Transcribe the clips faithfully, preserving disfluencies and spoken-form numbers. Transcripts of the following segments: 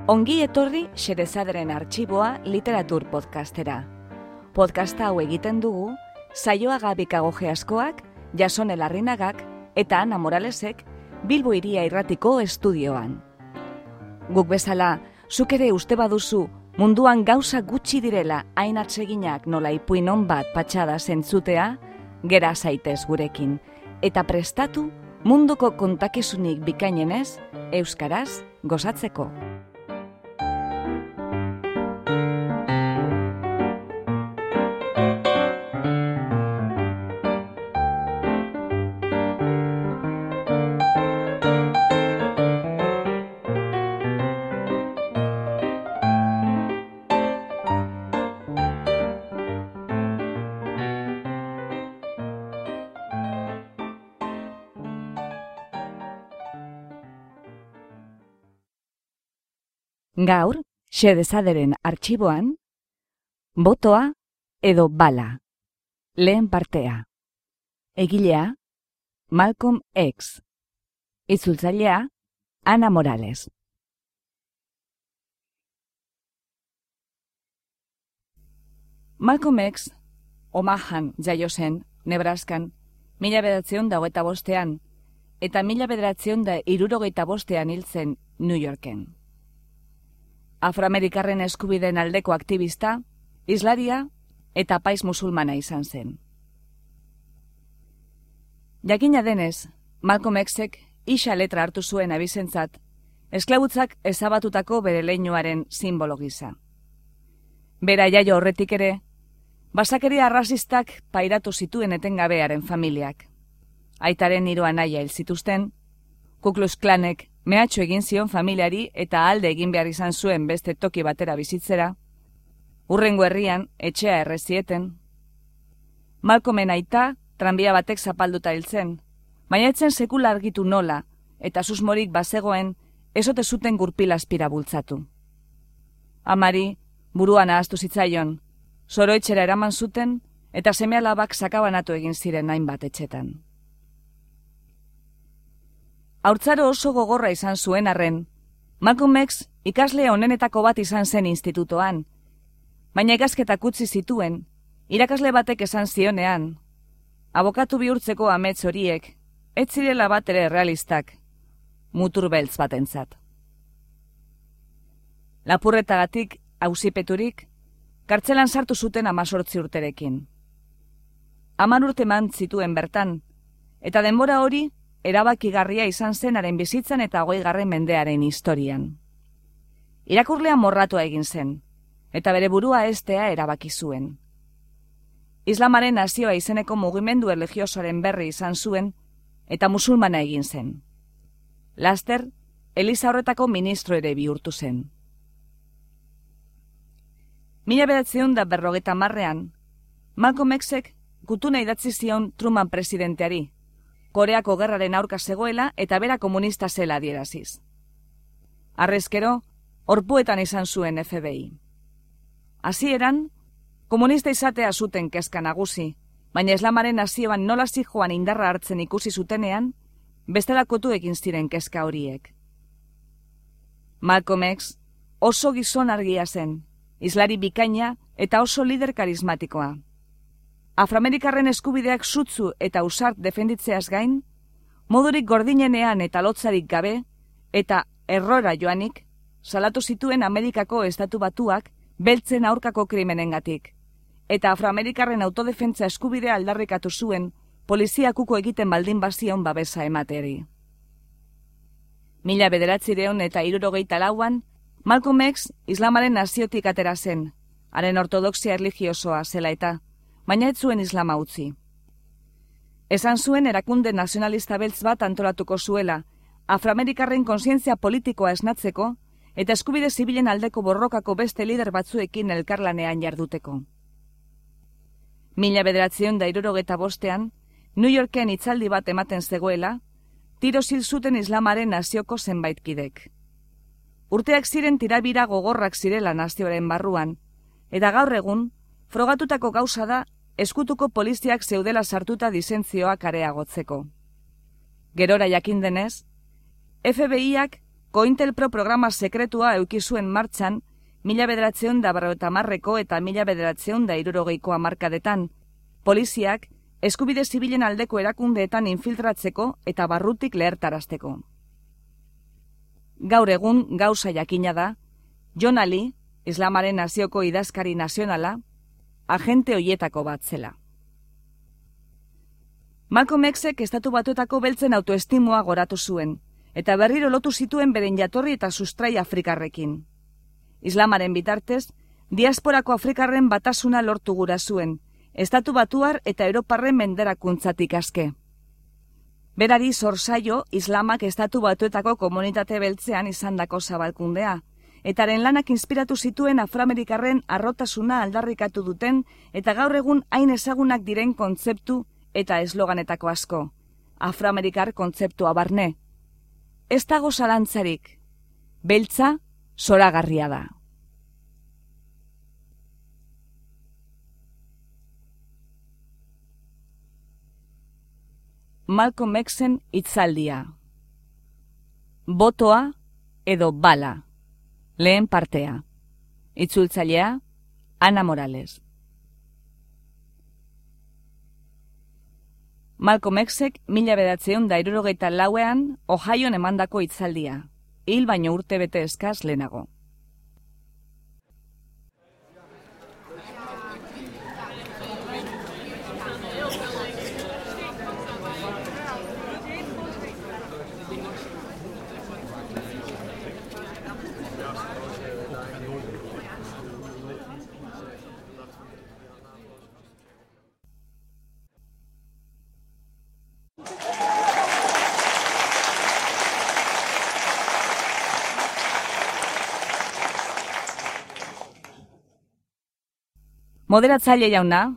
Ongi etorri Xerezaderen Artxiboa literatur podcastera. Podcasta hau egiten dugu Saioa Gabikagoge askoak, Jasone Larrinagak eta Ana Moralesek Bilbo Hiria Irratiko estudioan. Guk bezala, zuk ere uste baduzu munduan gauza gutxi direla hain atseginak nola ipuin on bat patxada zentzutea, gera zaitez gurekin, eta prestatu munduko kontakizunik bikainenez, euskaraz gozatzeko. Gaur, Xerezaderen Artxiboan, botoa edo bala. Lehen partea. Egilea, Malcolm X. Itzultzailea, Ana Morales. Malcolm X, Omahan jaio zen, Nebraskan, mila bederatziehun da hogeita bostean, eta mila bederatziehun da hirurogeita bostean hil zen New Yorken. Afroamerikarren eskubideen aldeko aktivista, islaria eta apaiz musulmana izan zen. Jakina denez, Malcolm Xek isa letra hartu zuen abizentzat, esklabutzak ezabatutako bere leinuaren sinbolo gisa. Bera jaio horretik ere, basakeria arrazistak pairatu zituen etengabearen familiak. Aitaren hiru anaia hil zituzten, Ku Klux Klanek mehatxu egin zion familiari eta alde egin behar izan zuen beste toki batera bizitzera, hurrengo herrian etxea errezieten. Malcolmen aita tranbia batek zapalduta hil zen, baina etzen sekula argitu nola, eta susmorik bazegoen ezote zuten gurpil azpira bultzatu. Amari buruan ahaztu zitzaion, zoroetxera eraman zuten eta seme-alabak sakabanatu egin ziren hainbat etxetan. Haurtzaro oso gogorra izan zuen arren, Malcolm X ikasle onenetako bat izan zen institutoan, baina ikasketak utzi zituen, irakasle batek esan zionean, abokatu bihurtzeko amets horiek, ez zirela bat ere realistak, mutur beltz batentzat. Lapurretagatik, auzipeturik, kartzelan sartu zuten amazortzi urterekin. Hamar urte eman zituen bertan, eta denbora hori, erabakigarria izan zenaren bizitzan eta hogeigarren mendearen historian. Irakurlea morratua egin zen, eta bere burua heztea erabaki zuen. Islamaren nazioa izeneko mugimendu erlijiosoaren berri izan zuen, eta musulmana egin zen. Laster, eliza horretako ministro ere bihurtu zen. Mila bederatziehun da berrogeita hamarrean, Malcolm Xek gutuna idatzi zion Truman presidenteari, Koreako gerraren aurka zegoela eta bera komunista zela adieraziz. Harrezkero, orpuetan izan zuen F B I. Hasieran, komunista izatea zuten kezka nagusi, baina Islamaren nazioan nola zijoan indarra hartzen ikusi zutenean, bestelakotu egin ziren kezka horiek. Malcolm X oso gizon argia zen, islari bikaina eta oso lider karismatikoa. Afroamerikarren eskubideak sutzu eta ausart defenditzeaz gain, modurik gordinenean eta lotzarik gabe, eta errora joanik, salatu zituen Amerikako estatu batuak beltzen aurkako krimenengatik, eta afroamerikarren autodefentza eskubidea aldarrikatu zuen poliziakuko egiten baldin bazion babesa emateari. Mila bederatziehun eta hirurogeita lauan, Malcolm X Islamaren naziotik atera zen, haren ortodoxia erlijiosoa zela eta, baina ez zuen islama utzi. Esan zuen erakunde nazionalista beltz bat antolatuko zuela, afroamerikarren kontzientzia politikoa esnatzeko eta eskubide zibilen aldeko borrokako beste lider batzuekin elkarlanean jarduteko. Mila bederatziehun da hirurogeita bostean, New Yorken hitzaldi bat ematen zegoela, tiroz hil zuten Islamaren nazioko zenbait kidek. Urteak ziren tirabira gogorrak zirela nazioaren barruan, eta gaur egun, frogatutako gauza da eskutuko poliziak zeudela sartuta disentzioak areagotzeko. Gerora jakin denez, F B I-ak Cointelpro programa sekretua eukizuen martxan, mila bederatzeun da berrogeita hamarreko eta mila bederatzeun da hirurogeiko hamarkadetan, poliziak eskubide zibilen aldeko erakundeetan infiltratzeko eta barrutik lehertarazteko. Gaur egun gauza jakina da, John Ali, Islamaren nazioko idazkari nazionala, agente hoietako bat zela. Malcolm Xek estatu batuetako beltzen autoestimua goratu zuen, eta berriro lotu zituen beren jatorri eta sustrai afrikarrekin. Islamaren bitartez, diasporako afrikarren batasuna lortu gura zuen, estatu batuar eta europarren menderakuntzatik aske. Berari zorzaio Islamak estatu batuetako komunitate beltzean izandako zabalkundea, eta haren lanak inspiratu zituen afroamerikarren arrotasuna aldarrikatu duten eta gaur egun hain ezagunak diren kontzeptu eta esloganetako asko, afroamerikar kontzeptua barne. Ez dago zalantzarik, beltza zoragarria da. Malcolm Xen hitzaldia. Botoa edo bala. Lehen partea. Itzultzailea, Ana Morales. Malcolm Xek mila bederatziehun da hirurogeita lauean Ohioan emandako hitzaldia, hil baino urte bete eskaz lehenago. Moderatzaile jauna,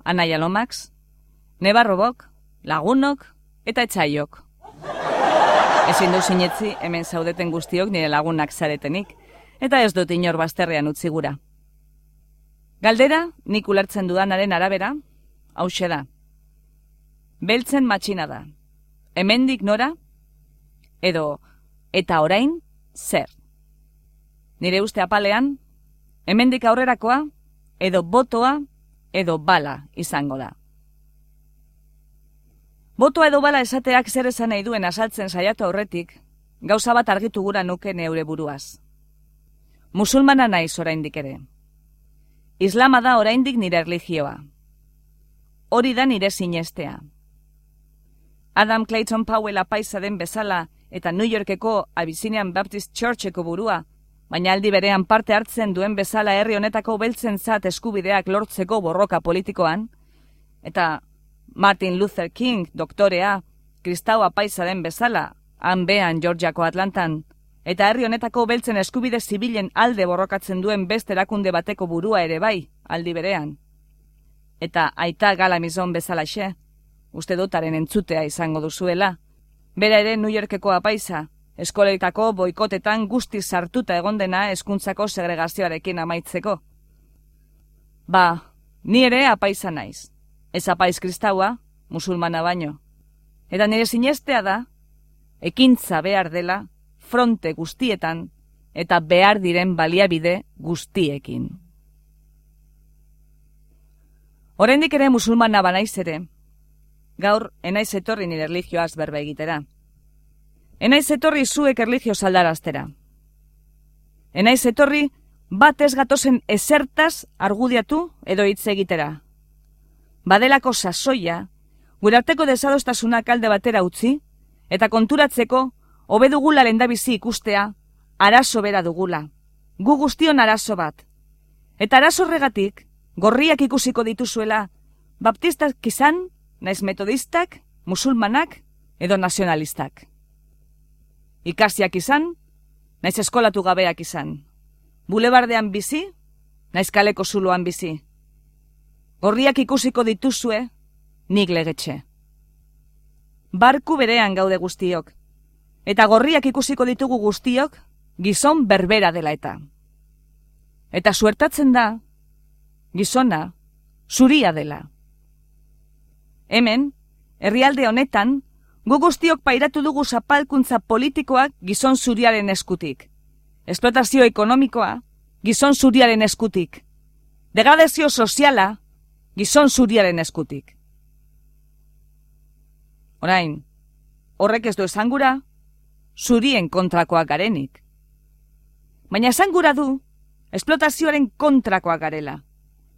Anaia Lomax, nebarrobok, lagunok eta etxaiok. Ezin du sinetzi hemen zaudeten guztiok nire lagunak zaretenik, eta ez dut inor bazterrean utzi gura. Galdera, nik ulertzen dudanaren arabera, hauxe da. Beltzen matxina da. Hemendik nora? Edo, eta orain, zer? Nire uste apalean, hemendik aurrerakoa, edo botoa, edo bala izango da. Botoa edo bala esateak zer esan nahi duen azaltzen saiatu aurretik, gauza bat argitu gura nuke neure buruaz. Musulmana naiz oraindik ere. Islama da oraindik nire erlijioa. Hori da nire sinestea. Adam Clayton Powell apaisa den bezala eta New Yorkeko Abyssinian Baptist Churcheko burua, baina aldi berean parte hartzen duen bezala herri honetako beltzentzat eskubideak lortzeko borroka politikoan, eta Martin Luther King, doktorea, kristau apaisa den bezala, han behan Georgiako Atlantan, eta herri honetako beltzen eskubide zibilen alde borrokatzen duen beste erakunde bateko burua ere bai, aldi berean. Eta aita Galamizon bezalaxe, uste dutaren entzutea izango duzuela, bera ere New Yorkeko apaisa, eskoletako boikotetan guztiz sartuta egon dena hezkuntzako segregazioarekin amaitzeko. Ba, ni ere apaisa naiz. Ez apaiz kristaua, musulmana baino. Eta nire sinestea da, ekintza behar dela, fronte guztietan, eta behar diren baliabide guztiekin. Oraindik ere musulmana banaiz ere, gaur enaiz etorri nire erlijioaz berba egitera. Enaiz etorri zuek erlijio aldaraztera. Enaiz etorri bat ez gatozen ezertaz argudiatu edo hitz egitera. Badelako sasoia, gure arteko desadostasunak alde batera utzi, eta konturatzeko hobe dugula lehendabizi ikustea, arazo bera dugula. Gu guztion arazo bat. Eta arazo horregatik, gorriak ikusiko dituzuela, baptistak izan, naiz metodistak, musulmanak edo nazionalistak. Ikasiak izan, naiz eskolatu gabeak izan. Bulebardean bizi, naiz kaleko zuloan bizi. Gorriak ikusiko dituzue, nik legetxe. Barku berean gaude guztiok, eta gorriak ikusiko ditugu guztiok, gizon berbera dela eta. Eta suertatzen da, gizona, zuria dela. Hemen, herrialde honetan, gu guztiok pairatu dugu zapalkuntza politikoak gizon zuriaren eskutik. Esplotazio ekonomikoa gizon zuriaren eskutik. Degradazio soziala gizon zuriaren eskutik. Orain, horrek ez du esangura, zurien kontrakoak garenik. Baina esangura du, esplotazioaren kontrakoak garela,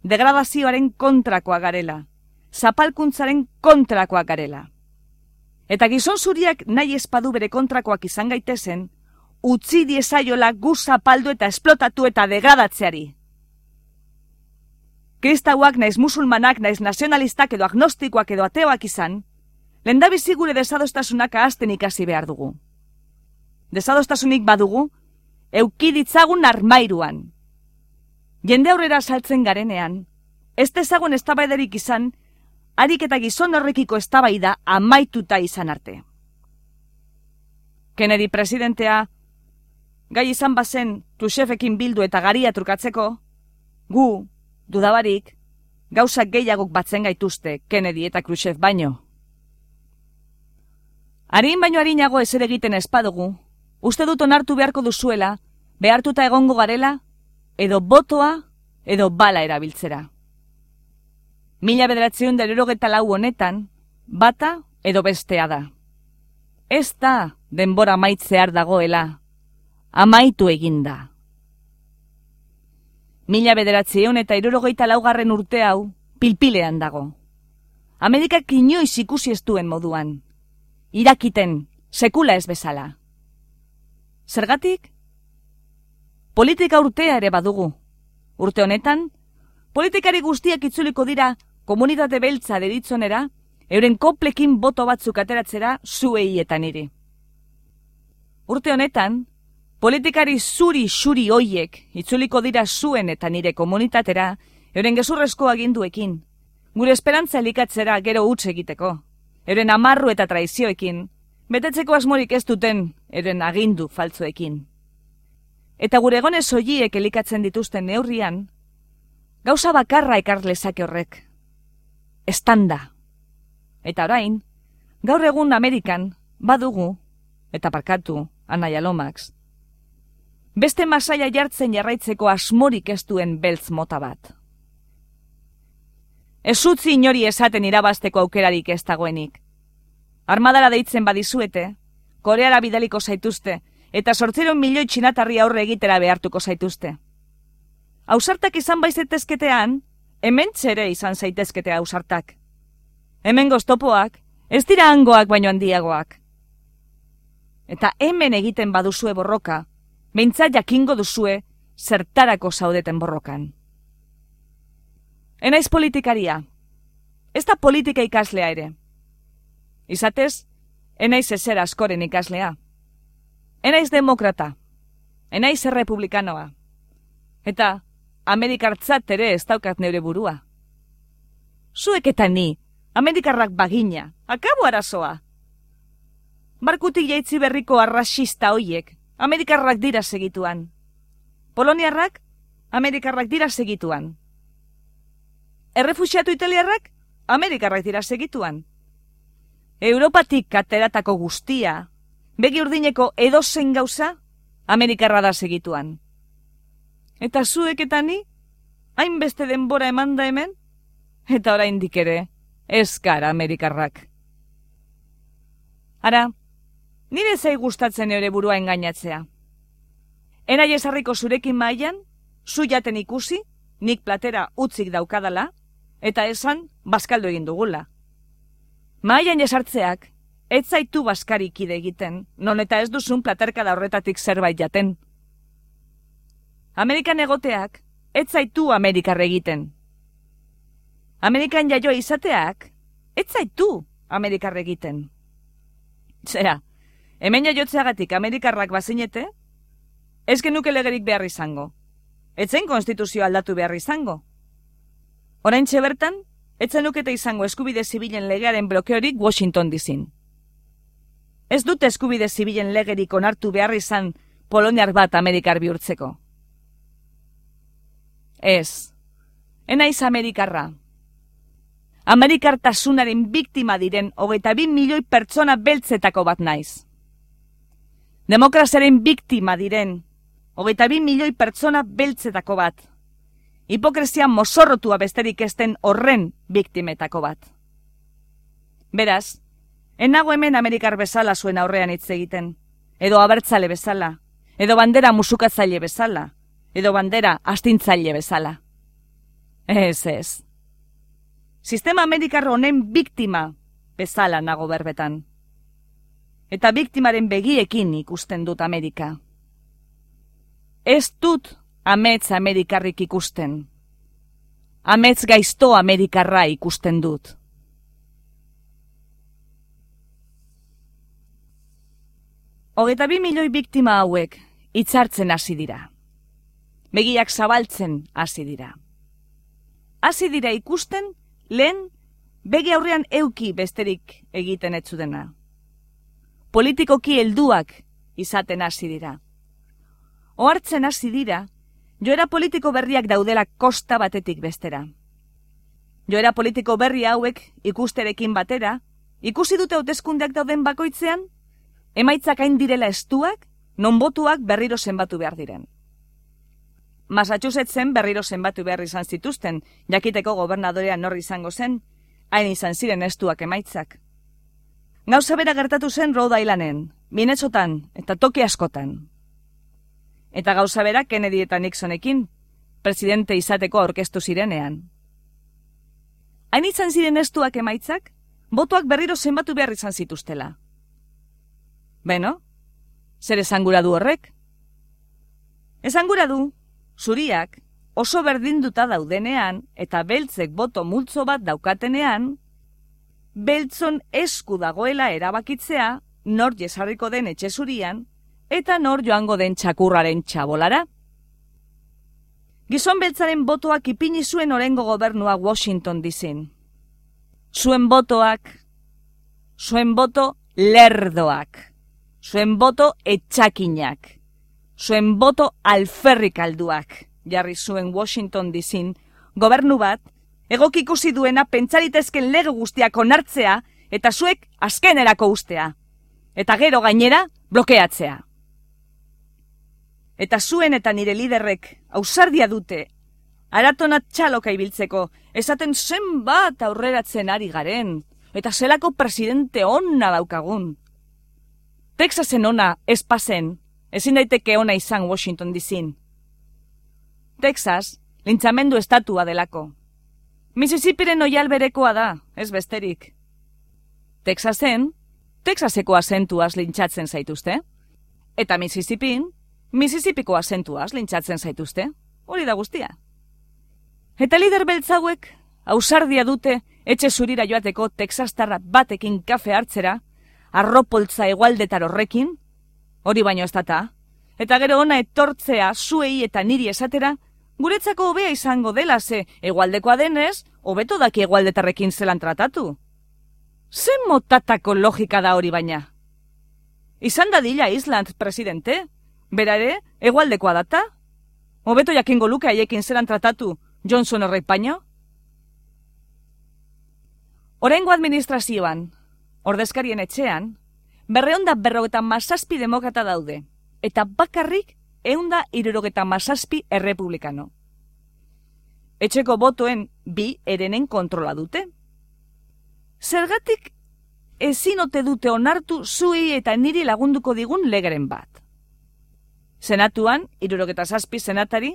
degradazioaren kontrakoak garela, zapalkuntzaren kontrakoak garela. Eta gizon zuriak nahi espadu bere kontrakoak izan gaitezen, utzi diezaiola gu zapaldu eta esplotatu eta degradatzeari. Kristauak naiz musulmanak, naiz nazionalistak edo agnostikoak edo ateoak izan, lehendabizi gure desadostasunak ahazten ikasi behar dugu. Desadostasunik badugu, eukiditzagun armairuan. Jende aurrera saltzen garenean, ez dezagun eztabaidarik izan, harik eta gizon horrekiko eztabaida amaituta izan arte. Kennedy presidentea, gai izan bazen Khrushchevekin bildu eta garia trukatzeko, gu, dudabarik, gauzak gehiagok batzen gaituzte Kennedy eta Khrushchev baino. Harin baino harinago ezer egiten espadugu, uste dut onartu beharko duzuela, behartuta egongo garela, edo botoa, edo bala erabiltzera. Mila bederatziehun eta hirurogeta lau honetan, bata edo bestea da. Ez da denbora amaitzear dagoela, amaitu eginda. Mila bederatziehun eta hirurogeita laugarren urte hau pilpilean dago. Amerikak inoiz ikusi ez duen moduan, irakiten, sekula ez bezala. Zergatik? Politika urtea ere badugu. Urte honetan, politikari guztiak itzuliko dira komunitate beltza deritzonera, euren koplekin boto batzuk ateratzera zuei eta niri. Urte honetan, politikari zuri-xuri hoiek itzuliko dira zuen eta nire komunitatera, euren gezurrezko aginduekin, gure esperantza elikatzera gero huts egiteko, euren amarru eta traizioekin, betetzeko asmorik ez duten euren agindu faltzuekin. Eta gure egonez hoiek elikatzen dituzten neurrian, gauza bakarra ekar lezake horrek. Estanda. Eta orain, gaur egun Amerikan badugu, eta parkatu, Anaia Lomax, beste masaia jartzen jarraitzeko asmorik ez duen beltz mota bat. Ez utzi inori esaten irabazteko aukerarik ez dagoenik. Armadara deitzen badizuete, Koreara bidaliko zaituzte, eta zortziron milioi txinatarri aurre egitera behartuko zaituzte. Ausartak izan baizetezketean, hemen txere izan zaitezkete ausartak. Hemen goztopoak, ez dira hangoak baino handiagoak. Eta hemen egiten baduzue borroka, behintzat jakingo duzue zertarako zaudeten borrokan. Enaiz politikaria, ez da politika ikaslea ere. Izatez, enaiz ezer askoren ikaslea. Enaiz demokrata, enaiz errepublikanoa. Eta Amerikartzat ere ez daukat neure burua. Zuek eta ni, Amerikarrak bagina, akabo arazoa. Barkutik jaitzi berriko arrasista hoiek, Amerikarrak dira segituan. Poloniarrak, Amerikarrak dira segituan. Errefuxiatu italiarrak, Amerikarrak dira segituan. Europatik ateratako guztia, begi urdineko edozein gauza, Amerikarra da segituan. Eta zuek eta ni, hainbeste denbora eman da hemen, eta oraindik ere, ez gara Amerikarrak. Ara, nire zai gustatzen eure burua engainatzea. Enai esarriko zurekin mailan, zu jaten ikusi, nik platera utzik daukadala, eta esan bazkaldu egin dugula. Mailan esartzeak, ez zaitu bazkarikide egiten, non eta ez duzun platerkada horretatik zerbait jaten. Amerikan egoteak, ez zaitu Amerikarre egiten. Amerikan jaioa izateak, ez zaitu Amerikarre egiten. Zera, hemen jaiotzeagatik Amerikarrak bazinete, ez genuke legerik behar izango. Etzen konstituzioa aldatu behar izango. Oraintxe bertan, etzen nukete izango eskubide zibilen legearen blokeorik Washington dizin. Ez dute eskubide zibilen legerik onartu behar izan poloniar bat Amerikar bihurtzeko. Ez, enaiz Amerikarra. Amerikartasunaren biktima diren hogeita bi milioi pertsona beltzetako bat naiz. Demokraziaren biktima diren hogeita bi milioi pertsona beltzetako bat. Hipokresia mozorrotua besterik ezten horren biktimetako bat. Beraz, enago hemen Amerikar bezala zuen aurrean hitz egiten, edo abertzale bezala, edo bandera musukatzaile bezala, edo bandera astintzaile bezala. Ez ez. Sistema Amerikar honen biktima bezala nago berbetan. Eta biktimaren begiekin ikusten dut Amerika. Ez dut amets Amerikarrik ikusten. Amets gaizto Amerikarra ikusten dut. Hogeita bi milioi biktima hauek hitzartzen hasi dira. Begiak zabaltzen hasi dira. Hasi dira ikusten lehen begi aurrean euki besterik egiten ez zutena. Politikoki helduak izaten hasi dira. Ohartzen hasi dira, joera politiko berriak daudela kosta batetik bestera. Joera politiko berri hauek ikusterekin batera, ikusi dute hauteskundeak dauden bakoitzean, emaitzak hain direla estuak, non botuak berriro zenbatu behar diren. Massachusettsen berriro zenbatu behar izan zituzten, jakiteko gobernadorea nor izango zen, hain izan ziren estuak emaitzak. Gauza bera gertatu zen Rhode Islanden, Minnesotan eta toki askotan. Eta gauza bera Kennedy eta Nixonekin, presidente izateko aurkeztu zirenean. Hain izan ziren estuak emaitzak, botuak berriro zenbatu behar izan zituztela. Beno, zer esangura du horrek? Esangura du, zuriak oso berdinduta daudenean eta beltzek boto multzo bat daukatenean, beltzon esku dagoela erabakitzea nor jesarriko den etxe zurian eta nor joango den txakurraren txabolara. Gizon beltzaren botoak ipini zuen orengo gobernua Washington D C-n. Zuen botoak, zuen boto lerdoak. Zuen boto etxakinak, zuen boto alferrik alduak, jarri zuen Washington D C-n, gobernu bat, egok ikusi duena pentsaritezken lege guztiak onartzea eta zuek azkenerako ustea, eta gero gainera blokeatzea. Eta zuen eta nire liderrek ausardia dute, aratonat txaloka ibiltzeko, esaten zenbat aurreratzen ari garen, eta zelako presidente onna daukagun. Texasen ona ez pasen, ezin daiteke ona izan Washington D C-n. Texas, lintzamendu estatua delako. Mississippiren oial berekoa da, ez besterik. Texasen, Texaseko azentuaz lintzatzen zaituzte. Eta Mississippin, Mississippiko azentuaz lintzatzen zaituzte. Hori da guztia. Eta lider beltzauek, ausardia dute, etxe zurira joateko texastarra batekin kafe hartzera, arropoltza egualdetar horrekin, hori baino ez data, eta gero ona etortzea zuei eta niri esatera, guretzako hobea izango dela ze, egualdekoa denez, hobeto daki egualdetarrekin zelan tratatu. Zen motatako logika da hori baina? Izan dadila Island presidente, bera ere, egualdekoa data? Hobeto jakingo luke haiekin zelan tratatu Johnson horrek baino? Oraingo administrazioan, ordezkarien etxean, berreunda berrogeta mazazpi demokrata daude, eta bakarrik eunda irurogeta mazazpi errepublikano. Etxeko botoen bi erenen kontrola dute. Zergatik ezin ote dute onartu zuei eta niri lagunduko digun legeren bat. Senatuan, irurogeta zazpi senatari,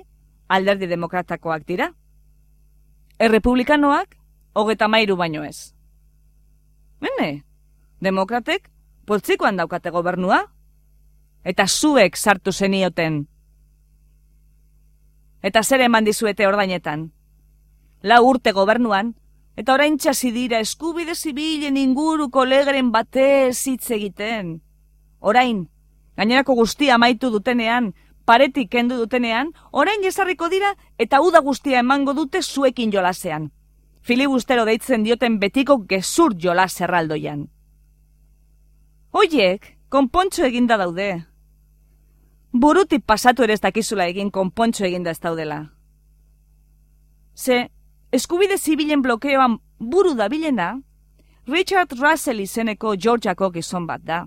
alderdi demokratakoak dira. Errepublikanoak, hogeta mairu baino ez. Bene, demokratek poltsikoan daukate gobernua, eta zuek sartu zenioten. Eta zer eman dizuete ordainetan? Lau urte gobernuan, eta orain txasi dira eskubide zibilen inguruko legeren batez hitz egiten. Orain, gainerako guztia amaitu dutenean, paretik kendu dutenean, orain ezarriko dira eta uda guztia emango dute zuekin jolasean. Filibustero deitzen dioten betiko gezur jolas erraldoian. Hoiek, konpontxo eginda daude. Burutik pasatu ere ez dakizula egin konpontxo eginda ez daudela. Ze, eskubide zibilen blokeoan buru dabilena, Richard Russell izeneko Georgiako gizon bat da.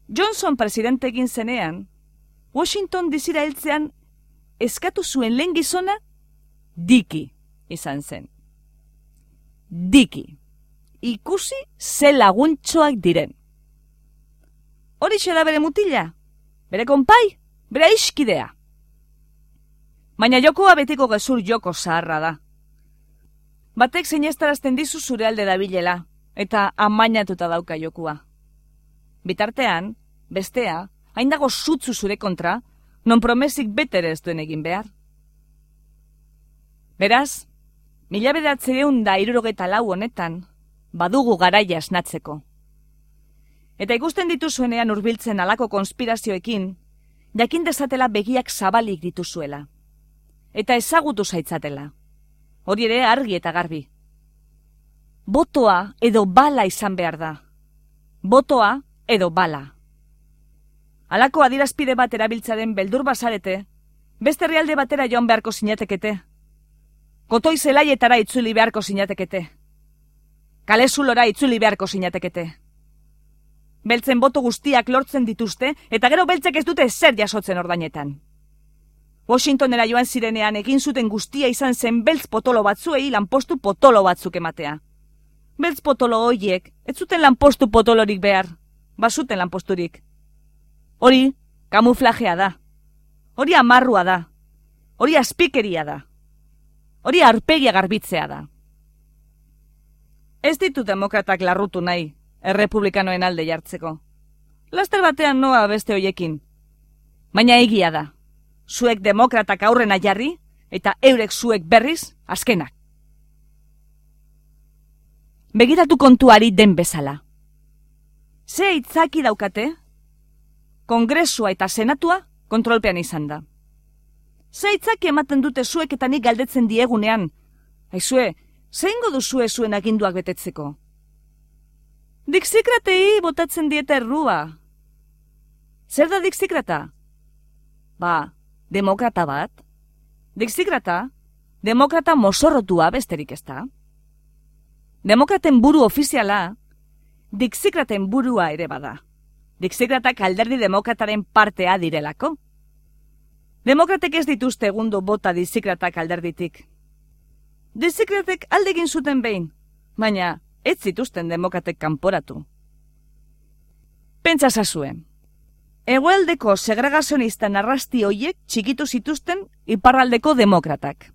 Johnson presidente egin zenean, Washington D C-ra heltzean eskatu zuen lehen gizona Dickie izan zen. Dickie, ikusi ze laguntxoak diren. Horixe da bere mutila, bere konpai, bere iskidea. Baina jokoa betiko gezur joko zaharra da. Batek sinestarazten dizu zure alde dabilela, eta amainatuta dauka jokua. Bitartean, bestea, hain dago zutzu zure kontra, non promesik betere ez duen egin behar. Beraz, mila bederatziehun da hirurogeta lau honetan, badugu garaia esnatzeko. Eta ikusten dituzuenean hurbiltzen halako konspirazioekin, jakin dezatela begiak zabalik dituzuela. Eta ezagutu zaitzatela. Hori ere argi eta garbi. Botoa edo bala izan behar da. Botoa edo bala. Halako adierazpide bat erabiltzaren beldur bazarete, beste herrialde batera joan beharko zinatekete. Kotoi zelaietara itzuli beharko zinatekete. Kalezulora itzuli beharko zinatekete. Beltzen boto guztiak lortzen dituzte, eta gero beltzek ez dute zer jasotzen ordainetan. Washingtonera joan zirenean egin zuten guztia izan zen beltz potolo batzuei lanpostu potolo batzuk ematea. Beltz potolo hoiek, ez zuten lanpostu potolorik behar, bazuten lanposturik. Hori, kamuflajea da. Hori amarrua da. Hori azpikeria da. Hori aurpegia garbitzea da. Ez ditu demokratak larrutu nahi, errepublikanoen alde jartzeko. Laster batean noa beste hoiekin. Baina egia da. Zuek demokratak aurrena jarri, eta eurek zuek berriz, azkenak. Begiratu kontuari den bezala. Ze aitzaki daukate? Kongresua eta senatua kontrolpean izan da. Ze aitzaki ematen dute zuek eta nik galdetzen diegunean. Aizue, zeingo duzue zuen aginduak betetzeko? Dixikratei botatzen dieta errua. Zer da dixikrata? Ba, demokrata bat. Dixikrata, demokrata mozorrotua besterik ez da. Demokraten buru ofiziala, dixikraten burua ere bada. Dixikratak alderdi demokrataren partea direlako. Demokratek ez dituzte egundo bota dixikratak alderditik. Dixikratek aldegin zuten behin, baina ez zituzten demokratek kanporatu. Pentsa zazuen. Hegoaldeko segregazionista narrasti hoiek txikitu zituzten iparraldeko demokratak.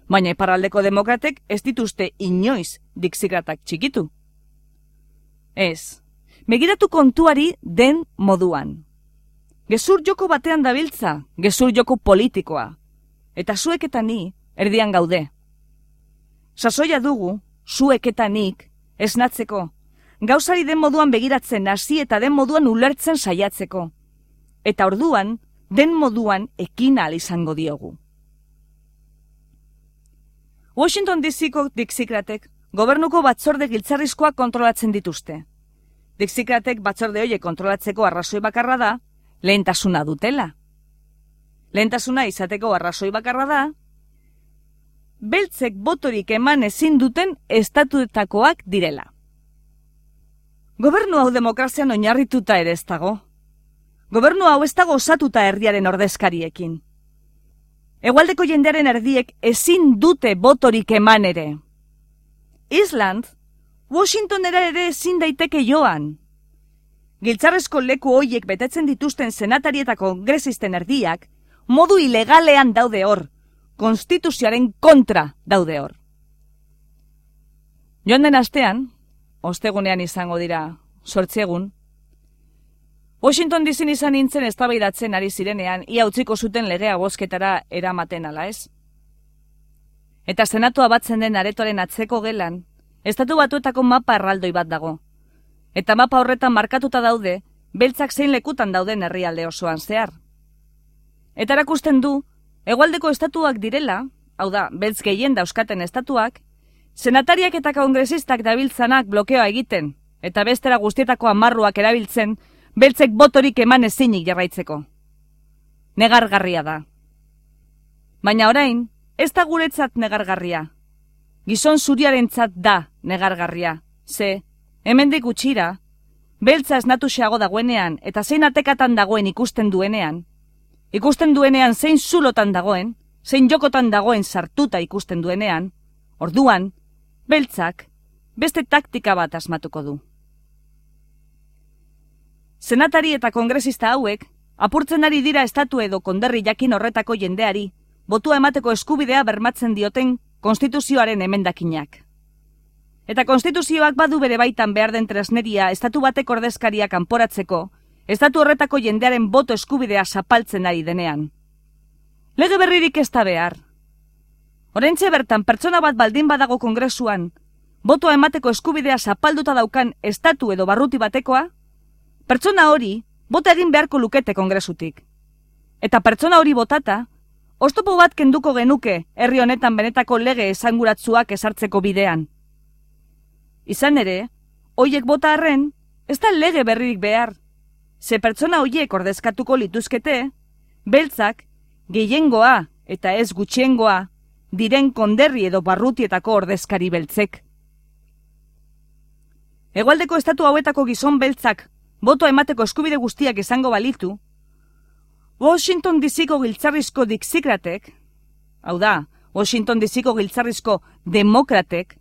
Baina iparraldeko demokratek ez dituzte inoiz dixikratak txikitu. Ez, begiratu kontuari den moduan. Gezur joko batean dabiltza, gezur joko politikoa. Eta zuek eta ni erdian gaude. Sasoia dugu, zuek eta nik, esnatzeko, gauzari den moduan begiratzen hasi eta den moduan ulertzen saiatzeko. Eta orduan, den moduan ekin ahal izango diogu. Washington D C-ko dixikratek gobernuko batzorde giltzarrizkoak kontrolatzen dituzte. Dixikratek batzorde horiek kontrolatzeko arrazoi bakarra da, lehentasuna dutela. Lehentasuna izateko arrazoi bakarra da, beltzek botorik eman ezin duten estatuetakoak direla. Gobernu hau demokrazian oinarrituta ere ez dago. Gobernu hau ez dago osatuta herriaren ordezkariekin. Hegoaldeko jendearen erdiek ezin dute botorik eman ere. Island, Washingtonera ere ezin daiteke joan. Giltzarrezko leku hoiek betetzen dituzten senatari eta kongresisten erdiak, modu ilegalean daude hor, konstituzioaren kontra daude hor. Joan den astean, ostegunean izango dira zortzi egun, Washington D C-n izan nintzen eztabaidatzen ari zirenean, ia utziko zuten legea bozketara eramaten ala ez. Eta senatua batzen den aretoaren atzeko gelan, estatu batuetako mapa erraldoi bat dago. Eta mapa horretan markatuta daude, beltzak zein lekutan dauden herrialde osoan zehar. Eta erakusten du, hegoaldeko estatuak direla, hau da, beltz gehien dauzkaten estatuak, senatariak eta kongresistak dabiltzanak blokeoa egiten, eta bestera guztietako amarruak erabiltzen, beltzek botorik eman ezinik jarraitzeko. Negargarria da. Baina orain, ez da guretzat negargarria. gizon zuriarentzat da negargarria. Ze, hemendik gutxira, beltza esnatuxeago dagoenean eta zein atekatan dagoen ikusten duenean, ikusten duenean zein zulotan dagoen, zein jokotan dagoen sartuta ikusten duenean, orduan, beltzak beste taktika bat asmatuko du. Senatari eta kongresista hauek apurtzen ari dira estatu edo konderri jakin horretako jendeari botua emateko eskubidea bermatzen dioten konstituzioaren emendakinak. Eta konstituzioak badu bere baitan behar den tresneria estatu batek ordezkaria kanporatzeko, estatu horretako jendearen boto eskubidea zapaltzen ari denean. Lege berririk ez da behar. Oraintxe bertan pertsona bat baldin badago kongresuan, botoa emateko eskubidea zapalduta daukan estatu edo barruti batekoa, pertsona hori bota egin beharko lukete kongresutik. Eta pertsona hori botata, oztopo bat kenduko genuke herri honetan benetako lege esanguratsuak ezartzeko bidean. Izan ere, hoiek bota arren, ez da lege berririk behar. Ze pertsona hoiek ordezkatuko lituzkete, beltzak, gehiengoa eta ez gutxiengoa, diren konderri edo barrutietako ordezkari beltzek. Hegoaldeko estatu hauetako gizon beltzak botoa emateko eskubide guztiak izango balitu, Washington D C-ko giltzarrizko dixikratek, hau da, Washington D C-ko giltzarrizko demokratek,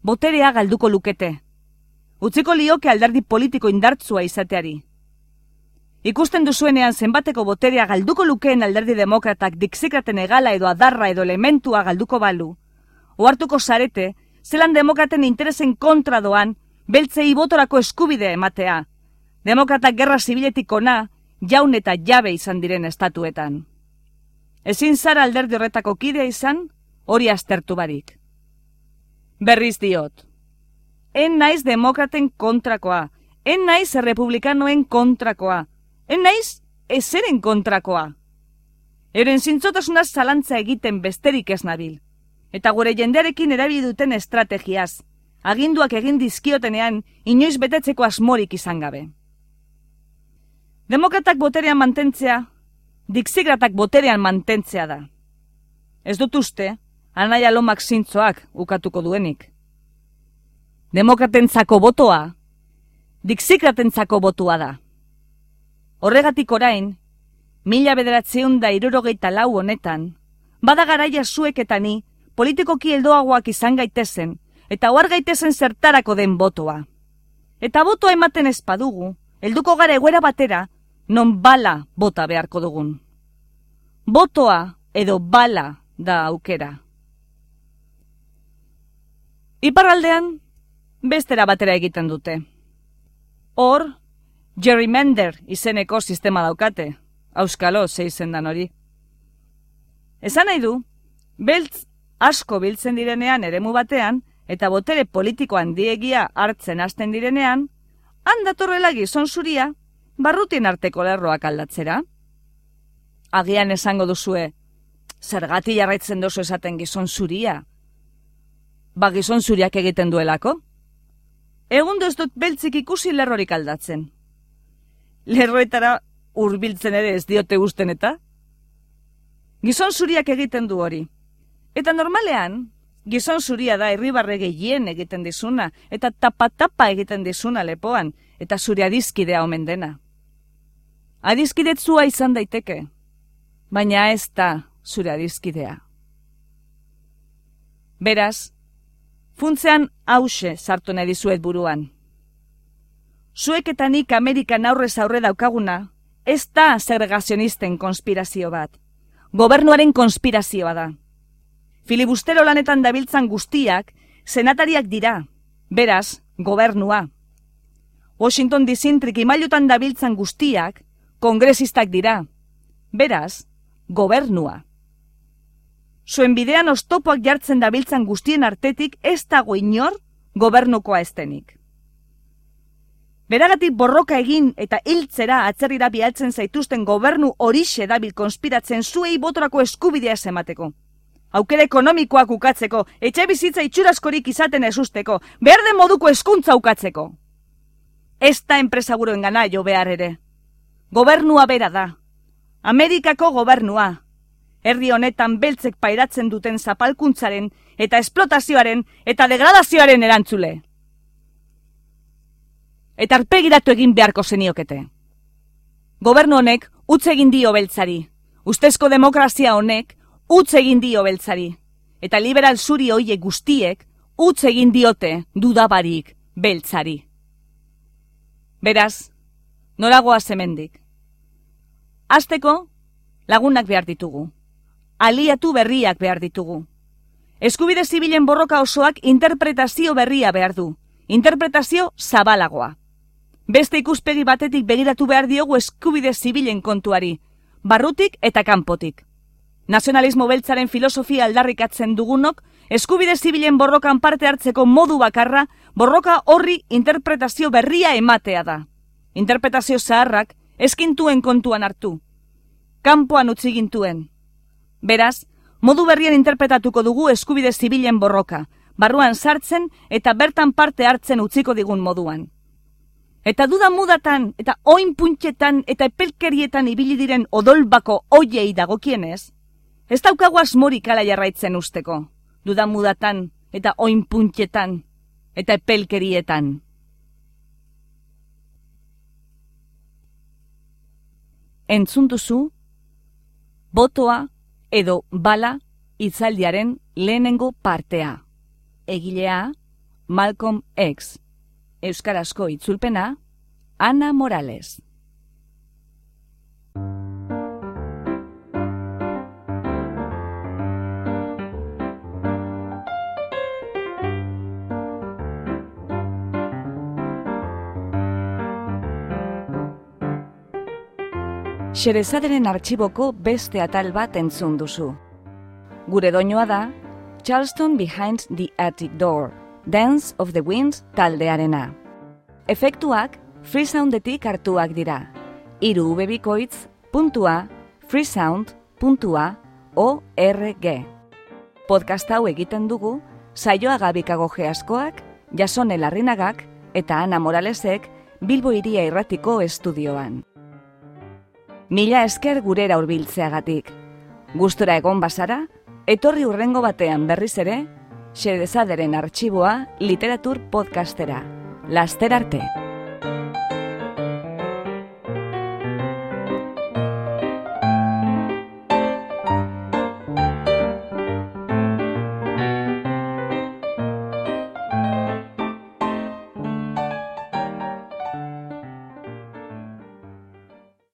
boterea galduko lukete. Utziko lioke alderdi politiko indartsua izateari. Ikusten duzuenean zenbateko boterea galduko lukeen alderdi demokratak dixikraten egala edo adarra edo elementua galduko balu, ohartuko zarete, zelan demokraten interesen kontra doan, beltzei botorako eskubidea ematea. Demokratak gerra zibiletik ona, jaun eta jabe izan diren estatuetan. Ezin zara alderdi horretako kidea izan, hori aztertu barik. Berriz diot. En naiz demokraten kontrakoa, en naiz errepublikanoen kontrakoa, en naiz ezeren kontrakoa. Euren zintzotasunaz zalantza egiten besterik ez nabil, eta gure jendearekin erabili duten estrategiaz, aginduak egin dizkiotenean inoiz betetzeko asmorik izan gabe. Demokratak boterean mantentzea, dixikratak boterean mantentzea da. Ez dut uste, Anaia Lomak zintzoak ukatuko duenik. Demokratentzako botoa, dixikratentzako botua da. Horregatik orain, mila bederatziehun da hirurogeita lau honetan, bada garaia zuek eta ni politikoki heldoagoak izan gaitezen, eta ohar gaitezen zertarako den botoa. Eta botoa ematen ez badugu, helduko gara egoera batera, non bala bota beharko dugun. Botoa edo bala da aukera. Iparraldean, bestera batera egiten dute. Hor, gerrymander izeneko sistema daukate, auskalo ze izendan hori. Esan nahi du, beltz asko biltzen direnean eremu batean, eta botere politiko handiegia hartzen hasten direnean, handatorrela gizon zuria, barrutien arteko lerroak aldatzera. Agian esango duzue, zergati jarraitzen dozu esaten gizon zuria. Ba gizon zuriak egiten duelako? Egun ez dut beltzik ikusi lerrorik aldatzen. Lerroetara hurbiltzen ere ez diote gusten eta? Gizon zuriak egiten du hori. Eta normalean, gizon zuria da irribarre gehien egiten dizuna, eta tapa-tapa egiten dizuna lepoan, eta zure adizkidea omen dena. Adizkidetzua izan daiteke, baina ez da zure adizkidea. Beraz, funtzean hause sartu nahi dizuet buruan. Zuek eta nik Amerikan aurrez aurre daukaguna, ez da segregazionisten konspirazio bat. Gobernuaren konspirazioa da. Filibustero lanetan dabiltzan guztiak, senatariak dira, beraz, gobernua. Washington D C trikimailutan dabiltzan guztiak, kongresistak dira, beraz, gobernua. Zuen bidean oztopoak jartzen dabiltzan guztien artetik ez dago inor gobernukoa estenik. Beragatik borroka egin eta hiltzera atzerrira bialtzen zaituzten gobernu horixe dabil konspiratzen zuei botorako eskubidea ez emateko. Aukera ekonomikoak ukatzeko, etxe bizitza itxuraskorik izaten ez usteko, behar den moduko hezkuntza ukatzeko. Ez da enpresa buroen gana jo behar ere. Gobernua bera da. Amerikako gobernua. herri honetan beltzek pairatzen duten zapalkuntzaren eta esplotazioaren eta degradazioaren erantzule. Eta arpegiratu egin beharko zeniokete. Gobernu honek utz egin dio beltzari. Ustezko demokrazia honek utz egin dio beltzari. Eta liberal zuri hoiek guztiek utz egin diote dudabarik beltzari. Beraz, noragoa hemendik. Hasteko, lagunak behar ditugu. Aliatu berriak behar ditugu. Eskubide zibilen borroka osoak interpretazio berria behar du. Interpretazio zabalagoa. Beste ikuspegi batetik begiratu behar diogu eskubide zibilen kontuari, barrutik eta kanpotik. Nazionalismo beltzaren filosofia aldarrikatzen dugunok, eskubide zibilen borrokan parte hartzeko modu bakarra, borroka horri interpretazio berria ematea da. Interpretazio zaharrak eskintuen kontuan hartu. Kanpoan utzi gintuen. Beraz, modu berrien interpretatuko dugu eskubide zibilen borroka, barruan sartzen eta bertan parte hartzen utziko digun moduan. Eta duda mudatan, eta oin puntxetan, eta epelkerietan ibili diren odolbako oiei dagokienez, ez daukagu asmorik ala jarraitzen usteko, duda mudatan, eta oin puntxetan, eta epelkerietan. Entzun duzu, botoa edo bala hitzaldiaren lehenengo partea. Egilea, Malcolm X. Euskarazko itzulpena, Ana Morales. Xerezaderen artxiboko beste atal bat entzun duzu. Gure doinoa da, Charleston Behind the Attic Door, Dance of the Wind taldearena. Efektuak freesoundetik hartuak dira. Hiru ubebikoitz puntua freesound puntua org. Podcast hau egiten dugu Saioa Gabikago Geaskoak, Jasone Larrinagak eta Ana Moralesek Bilbo Hiria Irratiko estudioan. Mila esker gurera hurbiltzeagatik. Gustora egon bazara, etorri hurrengo batean berriz ere, Xerezaderen artxiboa literatur podcastera. Laster arte!